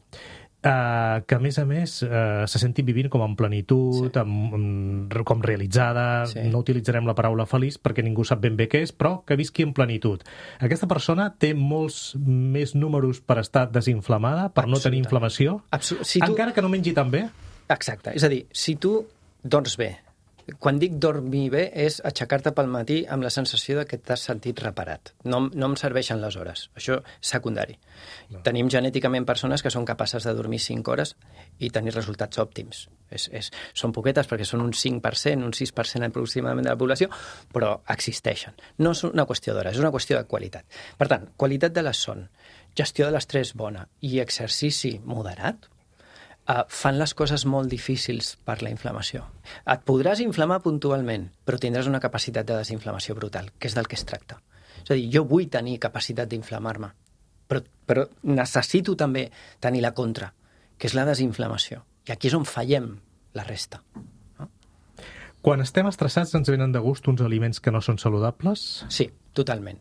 Uh, que a més a més uh, se senti vivint com en plenitud, sí. amb, amb, com realitzada, sí. no utilitzarem la paraula feliç perquè ningú sap ben bé què és, però que visqui en plenitud. Aquesta persona té molts més números per estar desinflamada, per no tenir inflamació, Absolut. Si tu... encara que no mengi tan bé? Exacte, és a dir, si tu dors bé, quan dic dormir bé és aixecar-te pel matí amb la sensació de que t'has sentit reparat. No, no em serveixen les hores. Això és secundari. No. Tenim genèticament persones que són capaces de dormir cinc hores i tenir resultats òptims. És, és, són poquetes perquè són un cinc per cent, un sis per cent aproximadament de la població, però existeixen. No és una qüestió d'hores, és una qüestió de qualitat. Per tant, qualitat de la son, gestió de l'estrès bona i exercici moderat, Uh, fan les coses molt difícils per la inflamació. Et podràs inflamar puntualment, però tindràs una capacitat de desinflamació brutal, que és del que es tracta. És a dir, jo vull tenir capacitat d'inflamar-me, però, però necessito també tenir la contra, que és la desinflamació. I aquí és on fallem la resta. No? Quan estem estressats ens venen de gust uns aliments que no són saludables? Sí, totalment.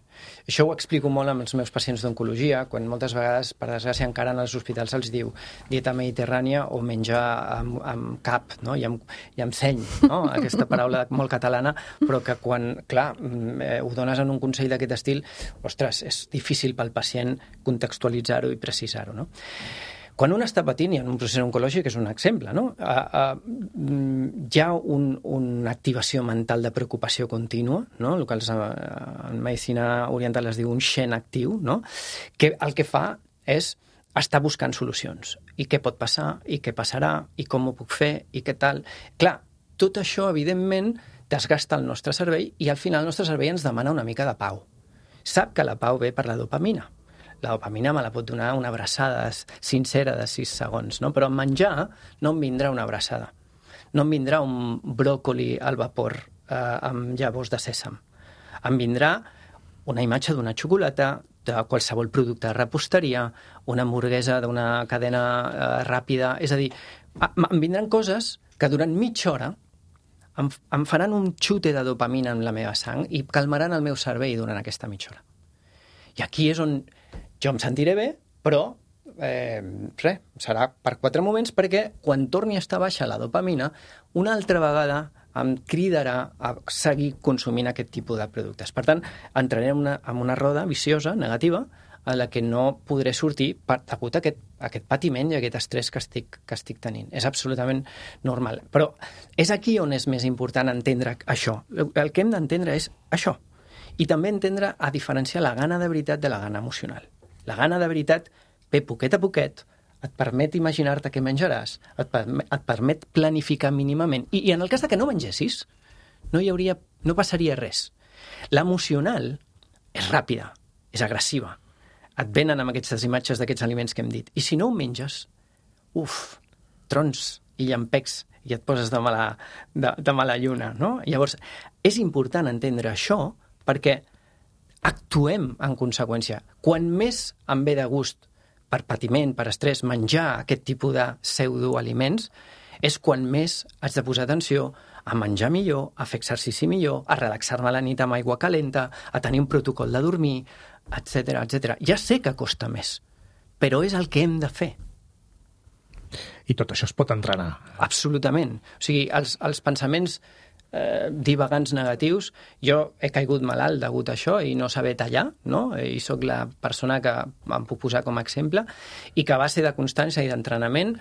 Això ho explico molt amb els meus pacients d'oncologia, quan moltes vegades, per desgràcia, encara en els hospitals els diu dieta mediterrània o menjar amb, amb cap, no? I, amb, i amb seny, no? Aquesta paraula molt catalana, però que quan, clar, eh, ho dones en un consell d'aquest estil, ostres, és difícil pel pacient contextualitzar-ho i precisar-ho, no? Quan un està patint, i en un procés oncològic és un exemple, no? Uh, uh, hi ha un, una activació mental de preocupació contínua, no? El que els, uh, en medicina oriental es diu un xen actiu, no? Que el que fa és estar buscant solucions. I què pot passar, i què passarà, i com ho puc fer, i què tal. Clar, tot això, evidentment, desgasta el nostre cervell i al final el nostre cervell ens demana una mica de pau. Sap que la pau ve per la dopamina. La dopamina me la pot donar una abraçada sincera de sis segons, no? Però en menjar no em vindrà una abraçada. No em vindrà un bròcoli al vapor eh, amb llavors de sèsam. Em vindrà una imatge d'una xocolata, de qualsevol producte de reposteria, una hamburguesa d'una cadena eh, ràpida... És a dir, em vindran coses que durant mitja hora em, em faran un xute de dopamina en la meva sang i calmaran el meu cervell durant aquesta mitja hora. I aquí és on jo em sentiré bé, però eh, res, serà per quatre moments, perquè quan torni a estar baixa la dopamina, una altra vegada em cridarà a seguir consumint aquest tipus de productes. Per tant, entraré en una, en una roda viciosa, negativa, a la que no podré sortir per degut a aquest, a aquest patiment i aquest estrès que estic, que estic tenint. És absolutament normal. Però és aquí on és més important entendre això. El que hem d'entendre és això. I també entendre a diferenciar la gana de veritat de la gana emocional. La gana de veritat ve poquet a poquet, et permet imaginar-te què menjaràs, et permet, et permet planificar mínimament. I, I en el cas de que no mengessis, no hi hauria, no passaria res. L'emocional és ràpida, és agressiva. Et venen amb aquestes imatges d'aquests aliments que hem dit. I si no ho menges, uf, trons i llampecs, i et poses de mala, de, de mala lluna, no? Llavors, és important entendre això perquè actuem en conseqüència. Quan més em ve de gust per patiment, per estrès, menjar aquest tipus de pseudoaliments, és quan més haig de posar atenció a menjar millor, a fer exercici millor, a relaxar-me a la nit amb aigua calenta, a tenir un protocol de dormir, etcètera, etcètera. Ja sé que costa més, però és el que hem de fer. I tot això es pot entrenar. Absolutament. O sigui, els, els pensaments eh, divagants negatius, jo he caigut malalt degut a això i no saber tallar, no? I sóc la persona que em puc posar com a exemple, i que a base de constància i d'entrenament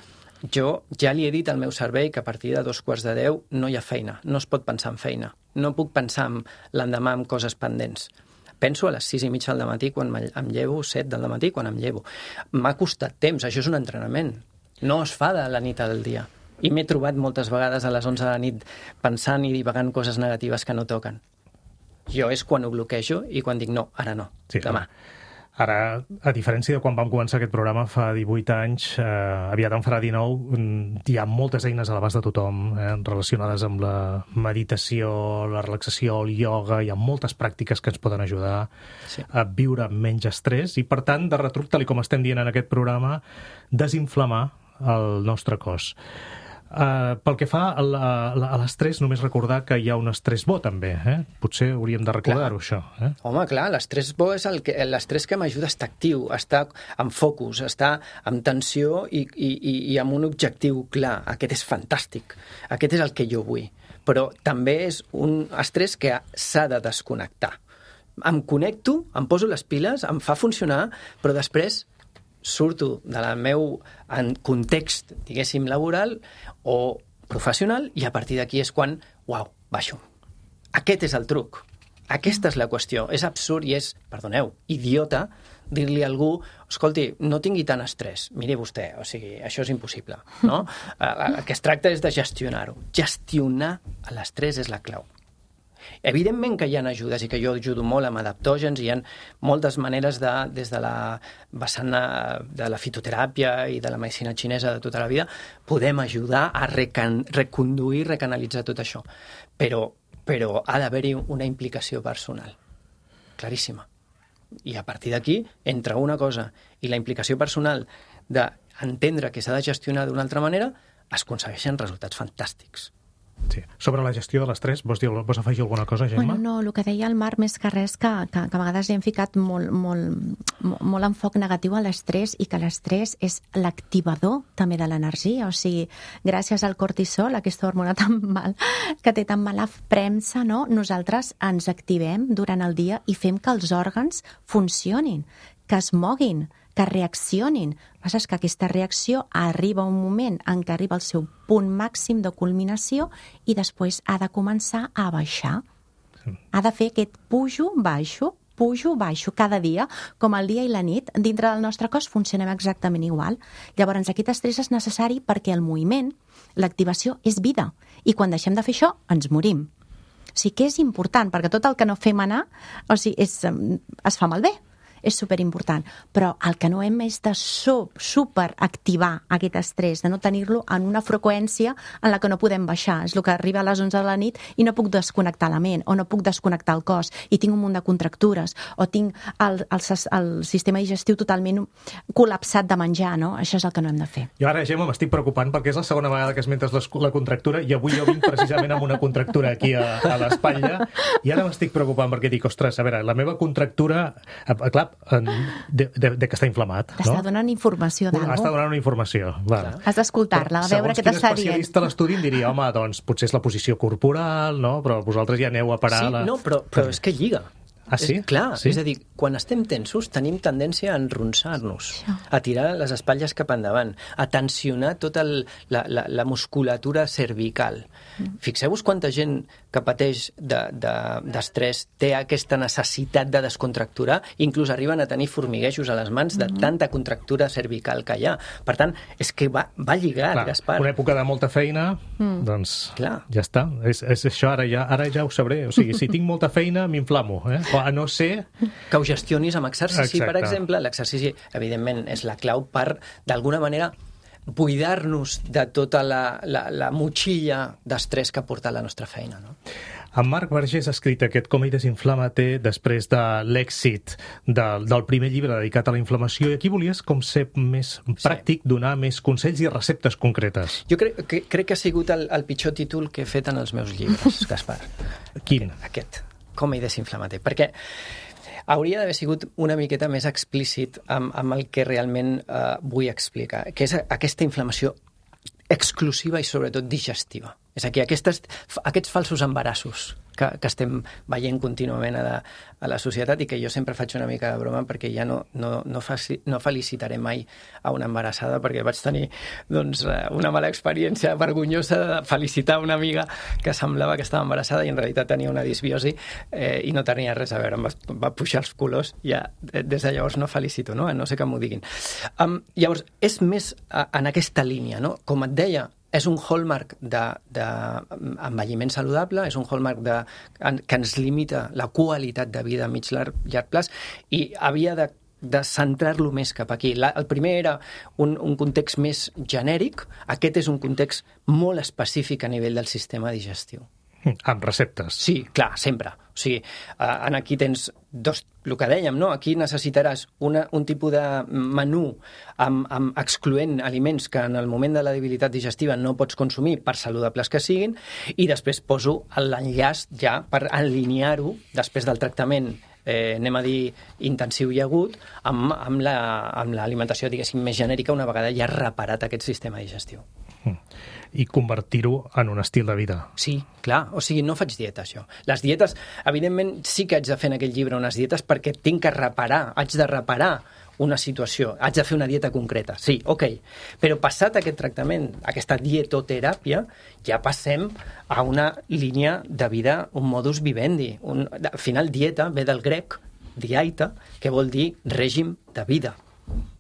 jo ja li he dit al meu cervell que a partir de dos quarts de deu no hi ha feina, no es pot pensar en feina. No puc pensar en l'endemà en coses pendents. Penso a les sis i mitja del matí quan em llevo, set del matí quan em llevo. M'ha costat temps, això és un entrenament. No es fa de la nit al dia. I m'he trobat moltes vegades a les onze de la nit pensant i divagant coses negatives que no toquen. Jo és quan ho bloquejo i quan dic no, ara no, sí, demà. Ara, a diferència de quan vam començar aquest programa fa divuit anys, eh, aviat en farà dinou, hi ha moltes eines a l'abast de tothom eh, relacionades amb la meditació, la relaxació, el ioga, hi ha moltes pràctiques que ens poden ajudar sí. a viure menys estrès i, per tant, de retruc, tal com estem dient en aquest programa, desinflamar el nostre cos. Uh, pel que fa a, la, a l'estrès, només recordar que hi ha un estrès bo, també. Eh? Potser hauríem de recordar-ho, això. Eh? Home, clar, l'estrès bo és el que, l'estrès que m'ajuda a estar actiu, a estar amb focus, a estar amb tensió i, i, i amb un objectiu clar. Aquest és fantàstic. Aquest és el que jo vull. Però també és un estrès que s'ha de desconnectar. Em connecto, em poso les piles, em fa funcionar, però després surto del meu context, diguéssim, laboral o professional i a partir d'aquí és quan, uau, baixo. Aquest és el truc. Aquesta és la qüestió. És absurd i és, perdoneu, idiota dir-li a algú, escolti, no tingui tant estrès. Miri vostè, o sigui, això és impossible, no? El que es tracta és de gestionar-ho. Gestionar l'estrès és la clau. Evidentment que hi ha ajudes i que jo ajudo molt amb adaptògens i hi ha moltes maneres de, des de la vessant de la fitoteràpia i de la medicina xinesa de tota la vida, podem ajudar a recan, reconduir, recanalitzar tot això. Però, però ha d'haver-hi una implicació personal, claríssima. I a partir d'aquí, entre una cosa i la implicació personal d'entendre que s'ha de gestionar d'una altra manera, es aconsegueixen resultats fantàstics. Sí. Sobre la gestió de l'estrès, vols, dir, vols afegir alguna cosa, Gemma? Bueno, no, el que deia el Marc, més que res, que, que, que a vegades hi hem ficat molt, molt, molt enfoc negatiu a l'estrès i que l'estrès és l'activador també de l'energia. O sigui, gràcies al cortisol, aquesta hormona tan mal, que té tan mala premsa, no? Nosaltres ens activem durant el dia i fem que els òrgans funcionin, que es moguin, que reaccionin. El que passa és que aquesta reacció arriba un moment en què arriba al seu punt màxim de culminació i després ha de començar a baixar. Sí. Ha de fer aquest pujo, baixo, pujo, baixo, cada dia, com el dia i la nit. Dintre del nostre cos funcionem exactament igual. Llavors, aquest estrès és necessari perquè el moviment, l'activació, és vida. I quan deixem de fer això, ens morim. O sigui que és important, perquè tot el que no fem anar, o sigui, és, es fa malbé. És superimportant, però el que no hem és de superactivar aquest estrès, de no tenir-lo en una freqüència en la que no podem baixar. És el que arriba a les onze de la nit i no puc desconnectar la ment, o no puc desconnectar el cos, i tinc un munt de contractures, o tinc el, el, el sistema digestiu totalment col·lapsat de menjar, no? Això és el que no hem de fer. Jo ara, Gemma, m'estic preocupant perquè és la segona vegada que esmentes la contractura i avui jo vinc precisament amb una contractura aquí a, a l'espatlla i ara m'estic preocupant perquè dic, ostres, a veure, la meva contractura, clar, De, de, de que està inflamat. T'està no? donant informació d'algú. Està donant una informació. Clar. Has d'escoltar-la, a veure què t'està dient. Segons quin especialista l'estudi em diria, home, doncs potser és la posició corporal, no? Però vosaltres ja aneu a parar... Sí, la... no, però, però és que lliga. Ah, sí? És, clar, sí? És a dir, quan estem tensos tenim tendència a enronsar-nos, a tirar les espatlles cap endavant, a tensionar tota el, la, la, la musculatura cervical. Mm. Fixeu-vos quanta gent que pateix d'estrès de, de, té aquesta necessitat de descontracturar, inclús arriben a tenir formiguejos a les mans de mm. tanta contractura cervical que hi ha. Per tant, és que va, va lligat, clar, Gaspar. Una època de molta feina, mm. doncs clar. Ja està. És, és això, ara ja, ara ja ho sabré. O sigui, si tinc molta feina, m'inflamo, eh? A no ser... Que ho gestionis amb exercici, Exacte. Per exemple. L'exercici, evidentment, és la clau per, d'alguna manera, buidar-nos de tota la, la, la motxilla d'estrès que porta la nostra feina, no? En Marc Vergés ha escrit aquest Com ell desinflama té després de l'èxit del, del primer llibre dedicat a la inflamació i aquí volies com ser més pràctic, sí. donar més consells i receptes concretes. Jo crec que, crec que ha sigut el, el pitjor títol que he fet en els meus llibres, Gaspar. Quin? Aquest. aquest. Com ell desinflama té. Perquè hauria d'haver sigut una miqueta més explícit amb, amb el que realment eh, vull explicar, que és aquesta inflamació exclusiva i sobretot digestiva. És a dir, aquestes, aquests falsos embarassos que, que estem veient contínuament a la, a la societat i que jo sempre faig una mica de broma perquè ja no, no, no, faci, no felicitaré mai a una embarassada perquè vaig tenir doncs, una mala experiència vergonyosa de felicitar una amiga que semblava que estava embarassada i en realitat tenia una disbiosi eh, i no tenia res a veure, em va, va pujar els colors i ja des de llavors no felicito, no, no sé que m'ho diguin. Um, llavors, és més a, en aquesta línia, no? Com et deia, és un hallmark d'envelliment saludable, és un hallmark de, que ens limita la qualitat de vida a mig llarg, llarg plaç i havia de de centrar-lo més cap aquí. La, el primer era un, un context més genèric, aquest és un context molt específic a nivell del sistema digestiu. Amb receptes. Sí, clar, sempre. O sigui, en aquí tens dos, el que dèiem, no? Aquí necessitaràs una, un tipus de menú amb, amb excloent aliments que en el moment de la debilitat digestiva no pots consumir, per saludables que siguin, i després poso l'enllaç ja per alinear-ho després del tractament eh, anem a dir intensiu i agut, amb, amb l'alimentació, la, diguéssim, més genèrica, una vegada ja reparat aquest sistema digestiu. I convertir-ho en un estil de vida. Sí, clar. O sigui, no faig dieta, això. Les dietes, evidentment, sí que haig de fer en aquell llibre unes dietes perquè tinc que reparar, haig de reparar una situació, haig de fer una dieta concreta, sí, ok. Però passat aquest tractament, aquesta dietoteràpia, ja passem a una línia de vida, un modus vivendi. Un, al final, dieta ve del grec, diaita, que vol dir règim de vida.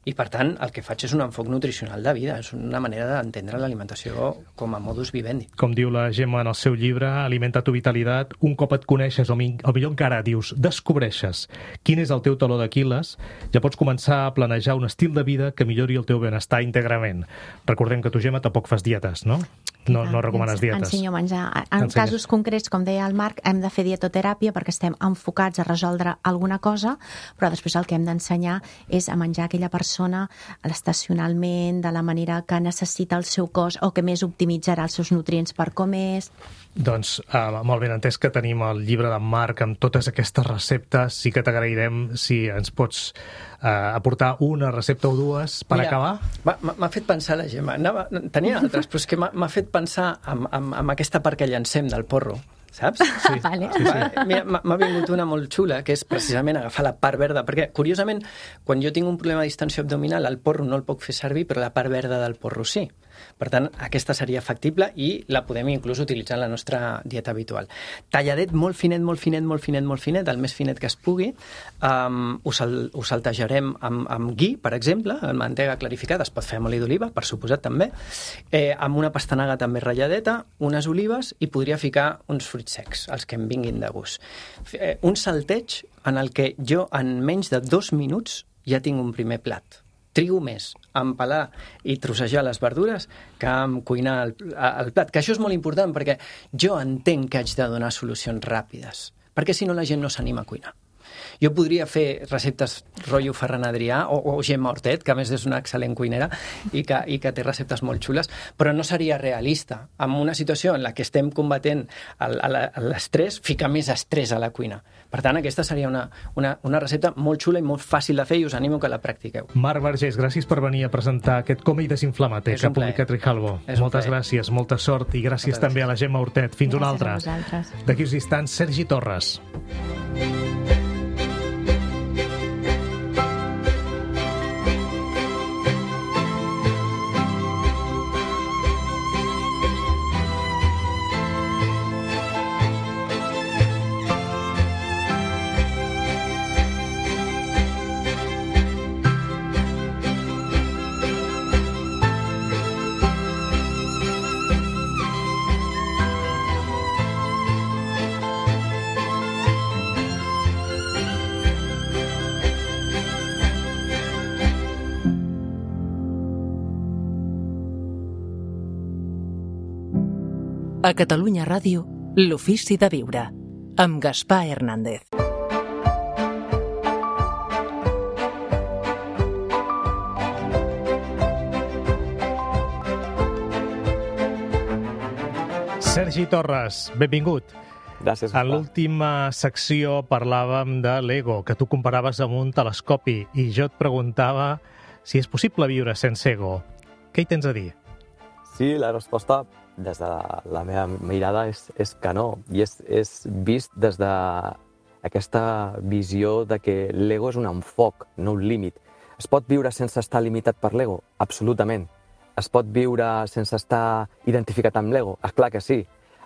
I, per tant, el que faig és un enfoc nutricional de vida, és una manera d'entendre l'alimentació com a modus vivendi. Com diu la Gemma en el seu llibre, Alimenta tu vitalitat, un cop et coneixes, o millor encara dius, descobreixes quin és el teu taló d'Aquil·les, ja pots començar a planejar un estil de vida que millori el teu benestar íntegrament. Recordem que tu, Gemma, tampoc fas dietes, no? No, no recomanes dietes. Ensenyo a menjar. En Ensenyes. Casos concrets, com deia el Marc, hem de fer dietoteràpia perquè estem enfocats a resoldre alguna cosa, però després el que hem d'ensenyar és a menjar aquella persona estacionalment, de la manera que necessita el seu cos o que més optimitzarà els seus nutrients per com és. Doncs uh, molt ben entès que tenim el llibre d'en Marc amb totes aquestes receptes. Sí que t'agrairem si ens pots uh, aportar una recepta o dues per Mira, acabar. M'ha fet pensar la Gemma. Anava, tenia altres, però és que m'ha fet pensar en, en, en aquesta part que llancem del porro, saps? Sí. Vale. Sí, sí. Mira, m'ha vingut una molt xula, que és precisament agafar la part verda, perquè, curiosament, quan jo tinc un problema de distensió abdominal, el porro no el puc fer servir, però la part verda del porro sí. Per tant, aquesta seria factible i la podem inclús utilitzar en la nostra dieta habitual. Talladet molt finet, molt finet, molt finet, molt finet, el més finet que es pugui. Um, ho, sal, ho saltejarem amb, amb gui, per exemple, amb mantega clarificada, es pot fer amb oli d'oliva, per suposat també, eh, amb una pastanaga també ratlladeta, unes olives i podria ficar uns fruits secs, els que em vinguin de gust. Eh, un salteig en el que jo en menys de dos minuts ja tinc un primer plat. Trigo més a empalar i trossejar les verdures que a cuinar el, el plat. Que això és molt important perquè jo entenc que haig de donar solucions ràpides, perquè si no la gent no s'anima a cuinar. Jo podria fer receptes rotllo Ferran Adrià o, o Gemma Hortet, que a més és una excel·lent cuinera i que, i que té receptes molt xules, però no seria realista. En una situació en la que estem combatent l'estrès, ficar més estrès a la cuina. Per tant, aquesta seria una, una, una recepta molt xula i molt fàcil de fer i us animo que la practiqueu. Marc Vergés, gràcies per venir a presentar aquest Coma i Desinflama't que ha publicat Rijalbo. Moltes gràcies, molta sort i gràcies Moltes també gràcies. A la Gemma Hortet. Fins una altra. D'aquí uns instants, Sergi Torres. A Catalunya Ràdio, l'Ofici de Viure, amb Gaspar Hernández. Sergi Torres, benvingut. Gràcies. En l'última secció parlàvem de l'ego, que tu comparaves amb un telescopi, i jo et preguntava si és possible viure sense ego. Què hi tens a dir? Sí, la resposta des de la meva mirada és, és que no, i és, és vist des d'aquesta visió de que l'ego és un enfoc, no un límit. Es pot viure sense estar limitat per l'ego? Absolutament. Es pot viure sense estar identificat amb l'ego? És clar que sí.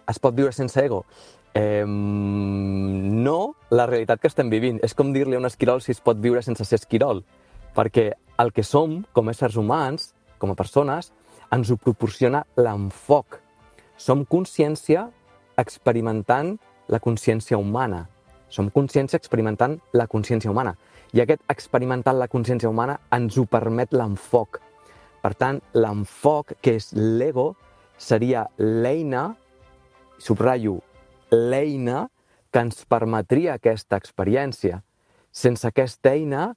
Es pot viure sense ego? Eh, no la realitat que estem vivint. És com dir-li a un esquirol si es pot viure sense ser esquirol, perquè el que som com a éssers humans, com a persones, ens ho proporciona l'enfoc. Som consciència experimentant la consciència humana. Som consciència experimentant la consciència humana. I aquest experimentar la consciència humana ens ho permet l'enfoc. Per tant, l'enfoc, que és l'ego, seria l'eina, subratllo, l'eina que ens permetria aquesta experiència. Sense aquesta eina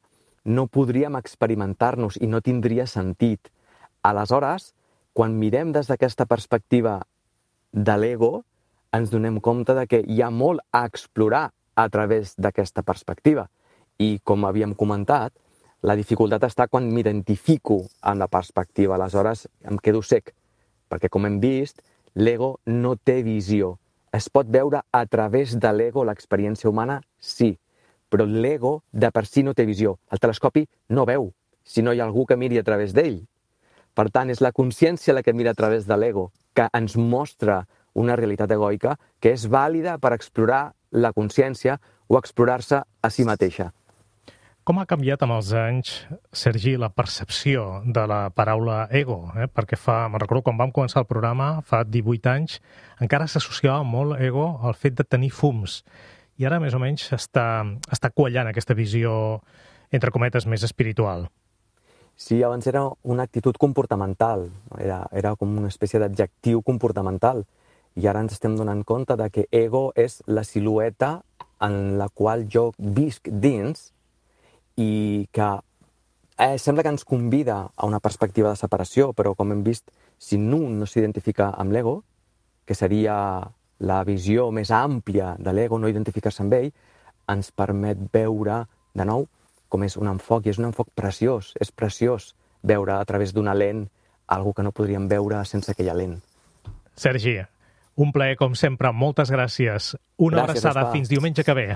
no podríem experimentar-nos i no tindria sentit. Aleshores, quan mirem des d'aquesta perspectiva de l'ego, ens donem compte de que hi ha molt a explorar a través d'aquesta perspectiva. I, com havíem comentat, la dificultat està quan m'identifico amb la perspectiva. Aleshores, em quedo sec, perquè, com hem vist, l'ego no té visió. Es pot veure a través de l'ego l'experiència humana? Sí, però l'ego de per si no té visió. El telescopi no veu, si no hi ha algú que miri a través d'ell. Per tant, és la consciència la que mira a través de l'ego, que ens mostra una realitat egoica que és vàlida per explorar la consciència o explorar-se a si mateixa. Com ha canviat amb els anys, Sergi, la percepció de la paraula ego? Eh? Perquè fa, me'n recordo quan vam començar el programa, fa divuit anys, encara s'associava molt ego al fet de tenir fums. I ara, més o menys, està, està quallant aquesta visió, entre cometes, més espiritual. Sí, abans era una actitud comportamental, era, era com una espècie d'adjectiu comportamental. I ara ens estem donant compte de que ego és la silueta en la qual jo visc dins i que eh, sembla que ens convida a una perspectiva de separació, però com hem vist, si un no s'identifica amb l'ego, que seria la visió més àmplia de l'ego, no identificar-se amb ell, ens permet veure, de nou, com és un enfoc, i és un enfoc preciós, és preciós veure a través d'una lent algo que no podríem veure sense aquella lent. Sergi, un plaer com sempre, moltes gràcies. Una Gràcies, abraçada, Gaspar. fins diumenge que ve.